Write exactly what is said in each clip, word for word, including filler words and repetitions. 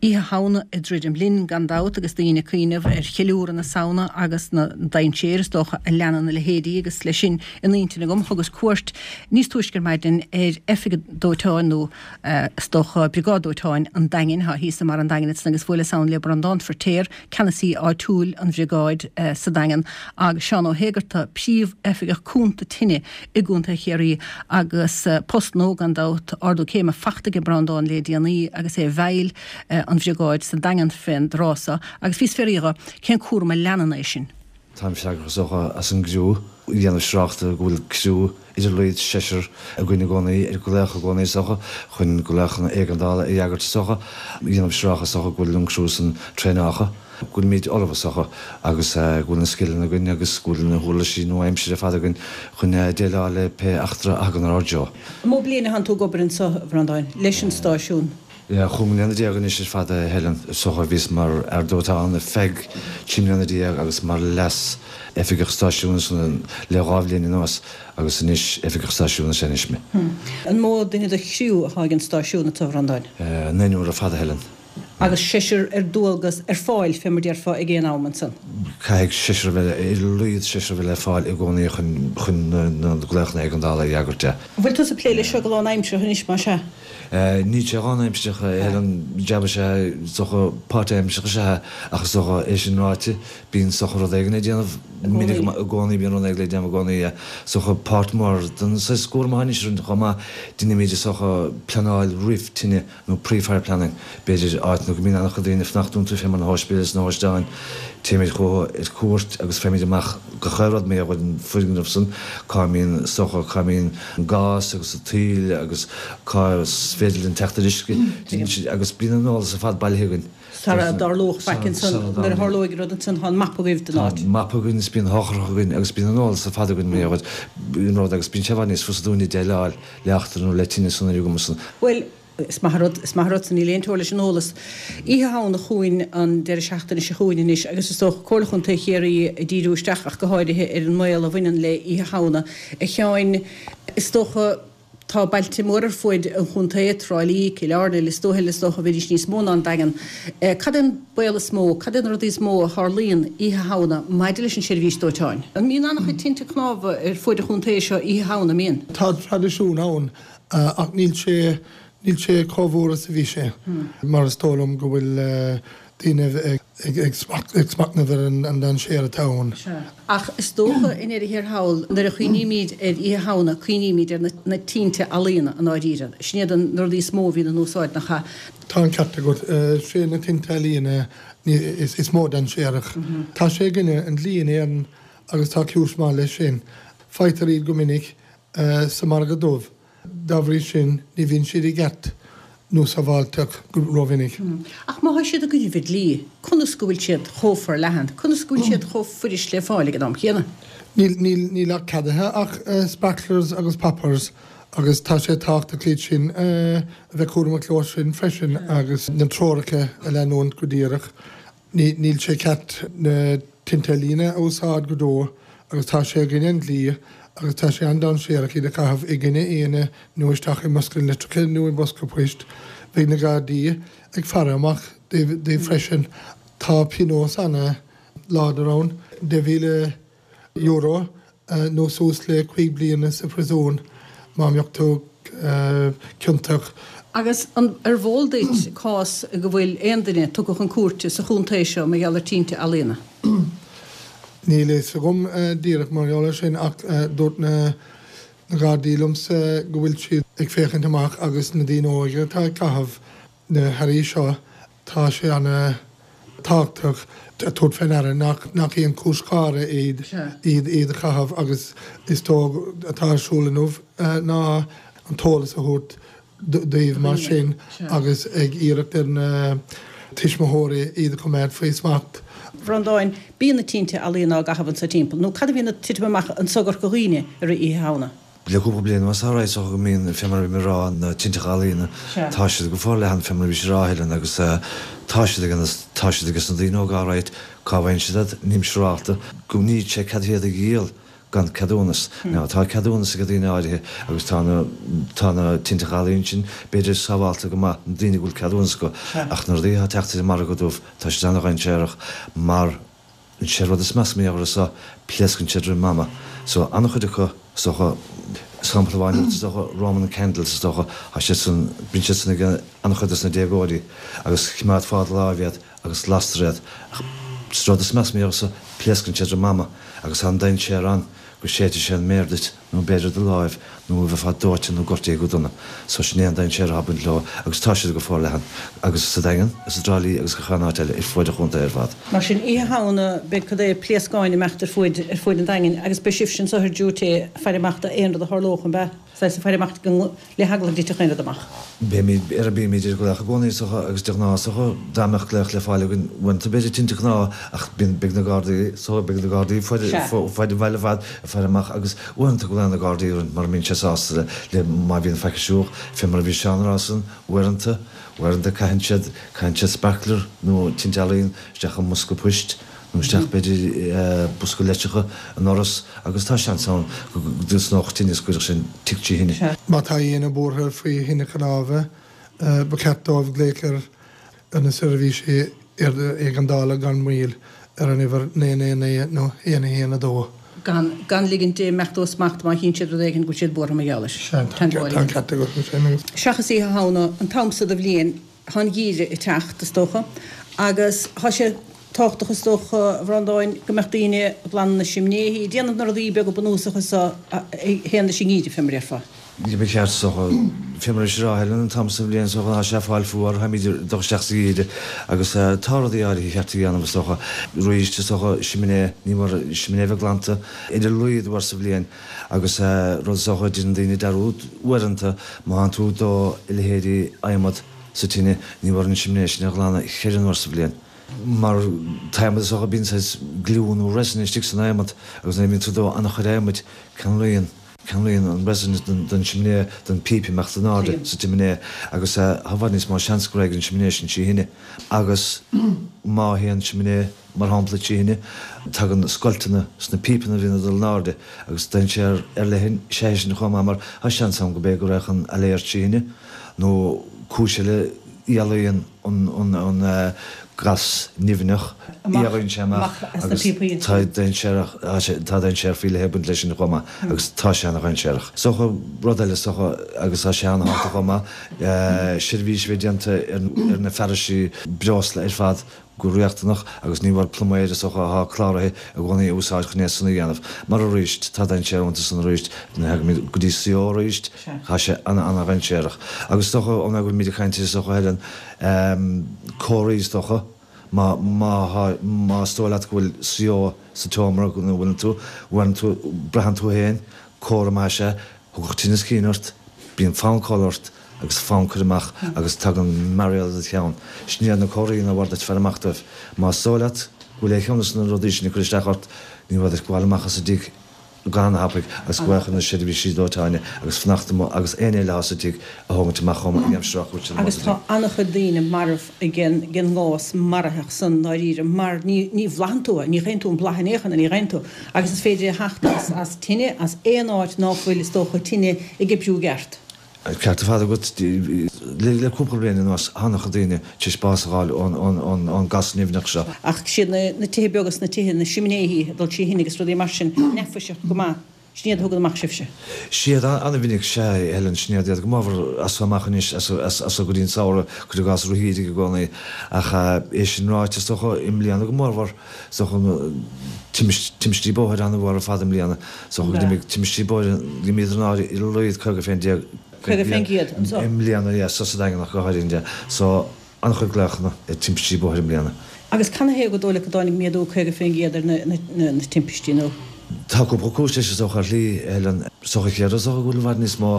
Oíche Shamhna ag druidim linn gan dabht agus daoine ag cuimhneamh ar cheiliúradh na Samhna agus na dainséir is dócha a leanann a leithéidí agus leis sin in intinn agam thugas cuairt níos túisce ar maidin ar oifig dóiteáin nó is dócha Briogáid Dóiteáin an Daingin atá thíos i mbarr an Daingin ansan agus bhuaileas ann le Breandán Feirtéar, ceannasaí áitiúil an bhriogáid sa Daingean agus Seán Ó hÉigearta, Príomh-Oifigeach Cúnta Tine i gContae Chiarraí agus post nua gan dabht, ardú céime fachta ag Breandán le déanaí agus é i bhfeighil an bhriogáid sa Daingean fén dtráth so agus bhíos ag fiafraí dhe cén cúram a leanann é sin. Táim freagrach is dócha as an gcriú, déanamh siúráilte go bhfuil criú ar a laghad seisear againn i gcónaí, ar glaoch i gcónaí is dócha, chun glaochanna éigeandála a fhreagairt is dócha, déanamh siúráilte is dócha go bhfuil an criú san traenáilte, go bhfuilimid ullamh is dócha agus go bhfuil na scileanna againn agus go bhfuil na huirlisí nua-aimsire ar fad againn chun déileáil le pé eachtra a thagann ar ár dtreo. An mó bliain atánn tú ag obair anso, a Bhreandáin, leis an stáisiún? Chúig mbliana déag anois ar fad, a Helen. Is dócha bhíos mar fhear dóiteáin ar feadh trí mbliana déag agus mar leas-oifigeach stáisiúin ansan le dhá bhliain anuas agus anois oifigeach stáisiúin is ea anois mé. An mó duine de chriú atá ag an stáisiún anseo, a Bhreandáin? Naonúr ar fad, a Helen. Agus seisear ar dualgas ar fáil, fé mar déarfá, ag aon am ansan? Caithfidh seisear a bheith, ar a laghad seisear a bheith le fáil i gcónaí chun chun na glaochanna éigeandála a fhreagairt. An bhfuil tusa ag plé leis seo go lánaimseartha anois, más ea? Níl sé lánaimseartha, a Helen, jab is ea, is dócha, páirtaimseartha is ea é, ach is dócha, é sin ráite, bíonn is dócha rud éigin le déanamh minic i gcónaí, bíonn rud éigin le déanamh i gcónaí, is dócha, páirt mhór den saghas cúram atá anois orainn chomh maith, deinimid is dócha pleanáil roimh tine nó pre-fire planning, b'fhéidir, áiteanna go mbíonn an-chuid daoine ag fanacht iontu, fé mar na hóispidéil is na hóstáin, téimid chucu ar cuairt agus faighimid amach gach aon rud mar gheall ar an bhfoirgneamh san, cá mbíonn, is dócha, cá mbíonn an gás agus an taoille agus cá féidir linn teacht ar uisce, agus bíonn an eolas ar fad bailithe againn. Sara dtarlódh faic ansan, nuair a tharlóidh rud ansan, tá an mapa agaibh den áit. Tá an mapa againn is bíonn eochrach againn agus bíonn an eolas ar fad againn mar gheall ar an rud agus bíonn sé i bhfad níos fusa dúinne déileáil le eachtra nó le tine san uilig amuigh san. Bhuel, is maith an rud, is maith an rud san, níl aon teora leis an eolas. Oíche Shamhna chugainn, an deireadh seachtaine seo chugainn anois, agus is dócha Comhairle Chontae Chiarraí ag díriú isteach ach go háirithe ar an mbaol a bhaineann le Oíche Shamhna. A Sheáin, is dócha, tá bailte móra ar fuaid an chontae, Trá Lí, Cill Airne, Lios Tuathail, is dócha, bheidís níos mó ná an Daingean. Cad é an baol is mó, cad é na rudaí is mó a tharlaíonn Oíche Shamhna maidir leis an seirbhís dóiteáin? An mbíonn an-chuid tinte cnámha ar fuaid an chontae seo Oíche Shamhna, an mbíonn? Tá traidisiún ann ach níl sé Níl sé chomh mhór is a bhí sé, mar is dóigh liom go bhfuil daoine ag smachtnamh ar an dainséar atá ann. Sea. Ach is dócha, i ndeireadh thiar thall, nuair a chuimhnímid ar Oíche Shamhna, cuimhnímid ar na tinte ealaíona, i ndáiríre. Sin iad na rudaí is mó a bhíonn in úsáid, nach ea? Tá an ceart agat. Sé na tinte ealaíona is mó dainséarach. Tá sé i gcoinne an dlí in Éirinn agus tá cúis maith leis sin. Faightear iad go minic sa margadh dubh. Dá bhrí sin, ní bhíonn siad i gceart nó sábháilteach go rómhinic. Ach má tá siad i gcoinnibh an dlí, conas go bhfuil siad chomh forleathan? Conas go bhfuil siad chomh fuirist le fáil ag an am chéanna? Níl, níl, níl ach ceadaithe ach sparklers agus poppers agus tá sé tábhachtach iad sin a bheith cúramach leo sin freisin agus na treoracha a leanúint go díreach. Níl sé ceart na tinte ealaíne a úsáid go deo agus tá sé i gcoinne an dlí agus tá sé an-dainséarach iad a chaitheamh i gcoinne éinne nó isteach i mbosca litreacha nó i mbosca poist. Beidh na Gardaí ag faire amach daoibh freisin. Tá pionós ana-láidir ann, deich mhíle euro nó suas le cúig bliana sa phríosún má mbeadh tú ciontach. Agus an eol duit cás go bhfuil aon duine tugtha chun cúirte sa chontae seo mar gheall ar tinte ealaíona? Níl a fhios agam díreach mar gheall air sin ach dúirt na Gardaí liomsa go bhfuil siad ag féachaint amach agus na daoine óga atá ag caitheamh na hearraí seo, tá sé ana tábhachtach tabhairt fé ndeara nach nach aon chúis gháire iad iad iad a chaitheamh agus is dóigh atá ar siúl inniu ná an t-eolas a thabhairt daoibh mar sin agus ag iarracht ar na tuismitheoirí iad a choimeád faoi smacht. Bhreandáin, bíonn na tinte ealaíona á gcaitheamh anso timpeall, nó cad a bhíonn ag titim amach anso i gCorca Dhuibhne i rith Oíche Shamhna? Le cúpla bliain anuas tá is dócha go mbíonn, fé mar a bhí mé ag rá, na tinteacha ealaíona, tá siad go forleathan, fé mar a bhís ag rá, a Helen, agus tá siad ag, tá siad ages na daoine óga alright, cá bhfaigheann siad iad, nílim siúrálta, go níl sé ceadaithe iad a dhíol gan ceadúnas. Now tá ceadúnas ag daoine áirithe agus tá na tá na tinte ealaíon sin b'fhéidir sábháilte go maith na daoine go bhfuil ceadúnas acu ach na rudaí atá teacht ar an margadh dubh tá siad ana-dhainséarach mar an sé rud is measa mar gheall air pléascann siad roimh am. So an-chuid acu is dócha sampla amháin is dócha Roman candles is dócha tá siad san bíonn siad san ag an-chuid des na déagóirí agus coimeádfá i do láimh iad agus lastar iad ach is rud is measa mar gheall air pléascann siad roimh am agus tá an dainséar ann go séidfidh sé an méar duit nó b'fhéidir do láimh nó a bheifeá dóite nó gortaithe go dona. So sin é an dainséar atá ag baint leo agus tá siad go forleathan agus sa Daingean, is i dTrá Lí agus gach aon áit eile ar fuaid an chontae ar fad. Mar sin, oíche Shamhna beidh cad é pléascáin ag imeacht ar fuaid ar fuaid an Daingin agus beidh sibhse anso ar duty ag faire amach d'aon rud a tharlódh, an bea? Saghas ag faire amach le heagla go dtitfeadh aon rud amach. Beimid ar bímid ar glaoch i gcónaí is dócha agus de ghnáth is dócha dá mbeadh glaoch le fáil againn uaireanta b'fhéidir tinte cnámha ach bíonn beidh na Gardaí so beidh na Gardaí fuaid fuaid an bhaile ar fad ag faire amach agus uaireanta glaonn na Gardaí orainn mura mbíonn sé sásta le le má bhíonn faic ar siúl fé mar a bhí Seán a rá san uaireanta uaireanta caitheann siad caitheann siad sparkler nó tinte ealaíon isteach i mbosca poist nó isteach b'fhéidir i bosca leitreacha i ndoras agus tá seans ann go dtosnódh tine is go gcuirfeadh sin tigh trí thine. Má tá éinne buartha faoi thine chnámha, ba cheart dóibh glaoch ar na seirbhísí éigeandála gan mhoill ar an uimhir naoi naoi naoi nó aon a haon a dó. Gan gan ligint d'imeacht ó smacht má chíonn siad rud éigin go bhfuil siad buartha mar gheall air. Sea, tá an ceart agat ansin agus. Seachas Oíche Shamhna, an t-am so de bhliain, Tá an geimhreadh ag teacht, is dócha, agus tá sé tábhachtach, is dócha, a Bhreandáin, go mbeadh daoine ag glanadh na simnéithí, ag déanamh na rudaí beaga bunúsacha so a théann leis an ngeimhreadh, fé mar a déarfá. Ba cheart, is dócha, fé mar is a rá, Helen, an t-am so den bhliain so tá sé ag fáil fuar, táimid ag dul isteach sa gheimhreadh agus tá rudaí áirithe cheart a dhéanamh, is dócha. Arís, is dócha, simné, ní mór simné a bheith glanta ar a laghad uair sa bhliain agus rud is dócha, déanann daoine dearúd uaireanta má thánn tú ag dó a leithéidí adhmad, sa tine, ní mór an simné sin a ghlanadh cheithre n-uair sa bhliain. Mar t-adhmad is dócha, bíonn saghas gliú nó resin istigh san adhmad agus nuair a bhíonn tú ag dó an-chuid adhmaid, ceanglaíonn, ceanglaíonn an resin don simné, don píp imeacht in airde sa tsimné agus tá i bhfad níos mó seans go raghaidh an simné sin trí thine. Agus má théann simné, mar shampla, trí thine, tagann scoilteanna sna pípeanna a bhíonn ag dul in airde agus dainséar ar leith is ea é sin chomh maith mar tá seans ann go b'fhéidir go raghadh an áiléar trí thine nó cúis eile, éalaíonn an gas nimhneach, éalaíonn sé amach agus tá dainséarach, tá dainséar faoi leith ag baint leis sin chomh maith agus tá sé ana-dhainséarach. Is dócha, rud eile is dócha agus tá sé ana-thábhachtach chomh maith, seirbhís a bheith déanta ar na fearaisí breosla ar fad, go riachtanach agus ní mór pluiméir is dócha atá cláraithe i gcónaí a úsáid chun é san a dhéanamh. Mar arís, tá dainséar iontu san arís, nuair a thagaimid go dtí CO arís, tá sé ana-ana-dhainséarach. Agus is dócha, ó go bhfuilimid ag caint ar is dócha Helen, comharthaí is dócha, má má thá má is dóigh leat go bhfuil CO sa tseomra ina bhfuileann tú, bhfuileann tú, braitheann tú féin, comhartha maith is ea, Thiocfadh tinneas cinn ort, bíonn fonn codladh ort agus fonn cur amach agus tagann mearaíl i do cheann. Sin iad na comharthaí nár mhór duit faire amach dóibh. Más dóigh leat go bhfuil aon cheann de na rudaí sin ag cur isteach ort, ní mór duit gabháil amach as an dtigh go han-thapaidh agus gabháil chun na seirbhísí dóiteáin agus fanacht amuigh agus aon éinne eile atá sa tigh a thógaint amach chomh maith an aimsir atá siad amuigh Agus sa tá tigh. an-chuid daoine marbh ag an ngás maraitheach san ndáiríre mar ní ní bhlaitheann tú é, ní gheibheann tú an blath in aon chor, ní gheibheann tú agus is féidir é a theacht as as tine, as aon áit ná fuil is dócha tine ag oibriú i gceart. Ceart ar fad agat. Le cúpla bliain anuas tá an-chuid daoine tar éis bás a fháil ón gas nimhneach seo. Ach siad na tithe beaga 's na tithe, na simnéithí ag dul trí thine agus rudaí mar sin, neafaiseach go maith. Sin iad a thugann amach sibhse. Siad an-mhinic, sea, Helen, sin iad iad go mórmhór as so amach anois, as so go dtí an samhradh, cuir i gcás rith i gcónaí. Ach é sin ráite, is dócha, i mbliana go mórmhór, is dócha, timpistí bóthair an-mhór ar fad i mbliana. Is dócha go d'imigh timpistí bóthair, d'imíodar in airde ar a laghad caoga fén déag Caoga fén gcéad, anso. I mbliana, yeah, so sa Daingean ach go háirithe, yeah. So, an-chuid glaochanna ar timpistí bóthair i mbliana. Agus canathaobh gur dóigh leat go dtáinig méadú caoga fén gcéad ar na timpistí, nó? Tá cúpla cúis leis is dócha ar shlí, Helen. Is dócha an chéad rud is dócha go bhfuil i bhfad níos mó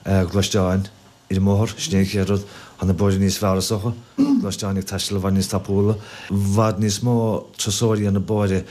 gluaisteáin ar an mbóthar, sin é an chéad rud. Tá na bóithre níos fearr is dócha, gluaisteáin ag taisteal i bhfad níos tapúla, i bhfad níos mó turasóirí ar na bóithre,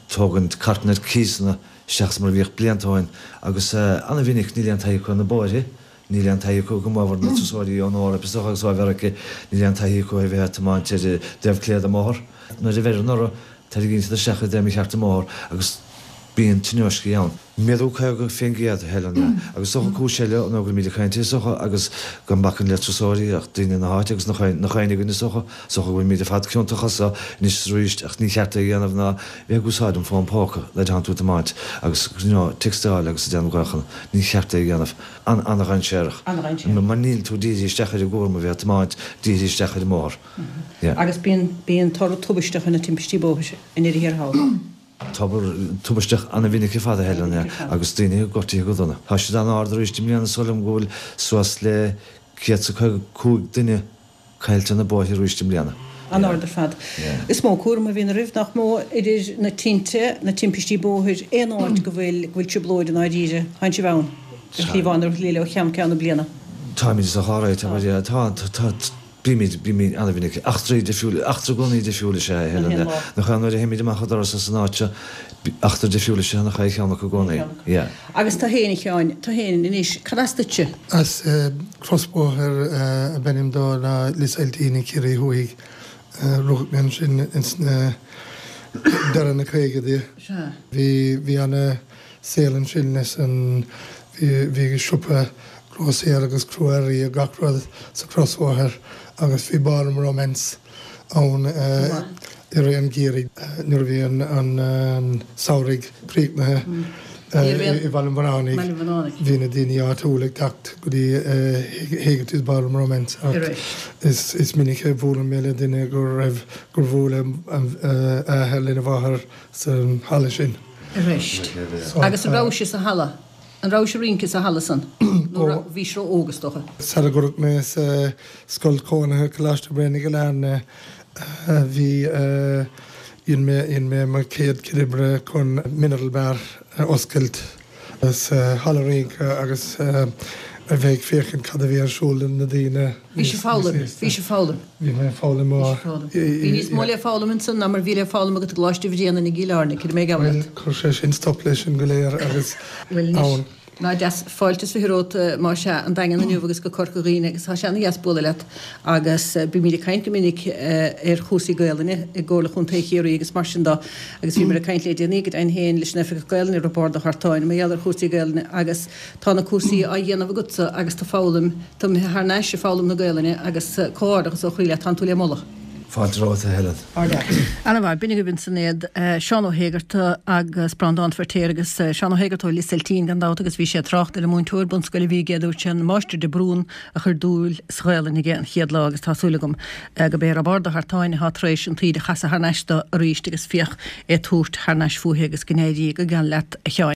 tógaint cairteanna ar cíosanna seachas mar a bhíodh blianta ó shin agus an-mhinic níl aon taithí acu ar na bóithre. Níl aon taithí acu go mórmhór na turasóirí ón Eoraip is dócha agus ó Mheiriceá, níl aon taithí acu ar bheith ag tiomáint ar an dtaobh clé den mbóthar. Nuair a bheireann orthu, tarraingíonn siad isteach i dtaobh mícheart den mbóthar agus Bíonn tionóiscí ann. Méadú caoga faoin gcéad, a Helen, yeah. Agus is dócha cúis eile ná go bhfuilimid ag caint, is dócha, agus gan bacainn le turasóirí ach daoine na háite agus nach éinne againn is dócha, is dócha go bhfuilimid ar fad ciontach as seo anois is arís ach ní cheart é a dhéanamh ná bheith ag úsáid an fón póca nuair atánn tú ag tiomáint agus you know textáil agus ag déanamh glaochanna. Ní cheart é a dhéanamh. An-an-dhainséarach. An-dhainséarach. Mar níl tú dírithe isteach ar an gcúram a bheith ag tiomáint, dírithe isteach ar an mbóthar. Yeah. Agus bíonn, bíonn toradh tubaisteach ar na timpistí bóthair i ndeireadh thiar thall. Toradh tubaisteach an-mhinic ar fad, a Helen, agus daoine gortaithe go dona. Tá siad an-ard arís i mbliana, is dóigh liom go bhfuil suas le céad is caoga cúig duine caillte ar na bóithre arís i mbliana. An-ard ar fad. Is mó cúram a bhíonn oraibh, nach mó, idir na tinte, na timpistí bóthair, aon áit go bhfuil, go bhfuil trioblóid i ndáiríre, tánn sibh ann, ar shlí amháin nó ar shlí eile ó cheann ceann na bliana. Táimid sa chorr, tá, tá, tá, Bímid, bímid an-mhinic. Eachtraí difriúil, eachtra i gcónaí difriúil is ea é, a Helen. Nach ea, nuair a théimid amach an doras as an áit seo, eachtra difriúil is ea nach ea cheann acu i gcónaí. Yeah. Agus tú fhéin, a Sheáin, tú fhéin anois, cad as duitse? As crosbhóthar ab ainm dó ná Lios Eiltín i Ciarraí Thuaidh. Rugadh mé ansin ins na deireadh na caogaidí. Sea. Bhí, bhí ana saol ansin leis an, bhí, bhí siopa grósaera agus crua-earraí agus gach rud sa chrosbhóthar agus bhí Ballroom Romance ann i rith an gheimhridh nuair a bhí an samhradh críochnaithe i Bhaile an Bhunánaigh. Bhí na daoine áitiúla ag teacht go dtí Hegarty's Ballroom Romance ach is minic a bhuaileann mé le duine go raibh gur bhuail a athair lena mháthair sa halla sin. Agus an raibh sé sa halla? An rabhais ag rince sa halla san? Nó raibh, bhís ró-óg is dócha? Sara gcuireadh mé sa scoil chónaithe Coláiste Bhréanainn i gCill Airne bhí, dhein mé, dhein mé mo chéad chuid oibre chun Mineral Bar a oscailt sa halla rince agus a bheith ag féachaint cad a bhí ar siúl le na daoine Bhís ag foghlaim, bhís ag foghlaim. Bhí mé ag foghlaim ó. Bhí níos mó le foghlaim ansan ná mar bhí le foghlaim agat i gColáiste Bhréanainn i gCill Airne, creidim é ag amharc. Bhuel, chuir sé sin stop leis sin go léir agus Bhuel anois, ná deas, fáilte is fiche romhat más ea, an Daingean inniu agus go Corca Dhuibhne agus tá sé ana-dheas bualadh leat agus bímid ag caint go minic ar chúrsaí Gaelainne i gComhairle Chontae Chiarraí agus mar sin dó agus bhíomar ag caint le déanaí go deimhin féin leis an Oifigeach Gaelainne Roibeárd Ó hArtáin mar gheall ar chúrsaí Gaelainne agus tá na cúrsaí á dhéanamh agatsa agus tú ag foghlaim, tú imithe thar n-ais ag foghlaim na Gaelainne agus comhghairdeachas ó chroí leat, tánn tú le moladh. Fáilte romhat, a Helen. Ana-mhaith. B'in agaibh ansan iad, Seán Ó hÉigeartaigh agus Breandán Feirtéar agus Seán Ó hÉigeartaigh ó Lios Eiltín gan dabht agus bhí sé ag trácht ar an múinteoir bunscoile a bhí aige, dúirt sé an Máistir de Brún a chuir dúil sa Ghaelainn aige an chéad lá agus tá súil agam gurb é Roibeárd Ó hArtáin atá tar éis an taoide a chasadh thar n-ais dó arís agus féach é ag tabhairt thar n-ais fúithi agus go n-éirí go geal leat a Sheáin.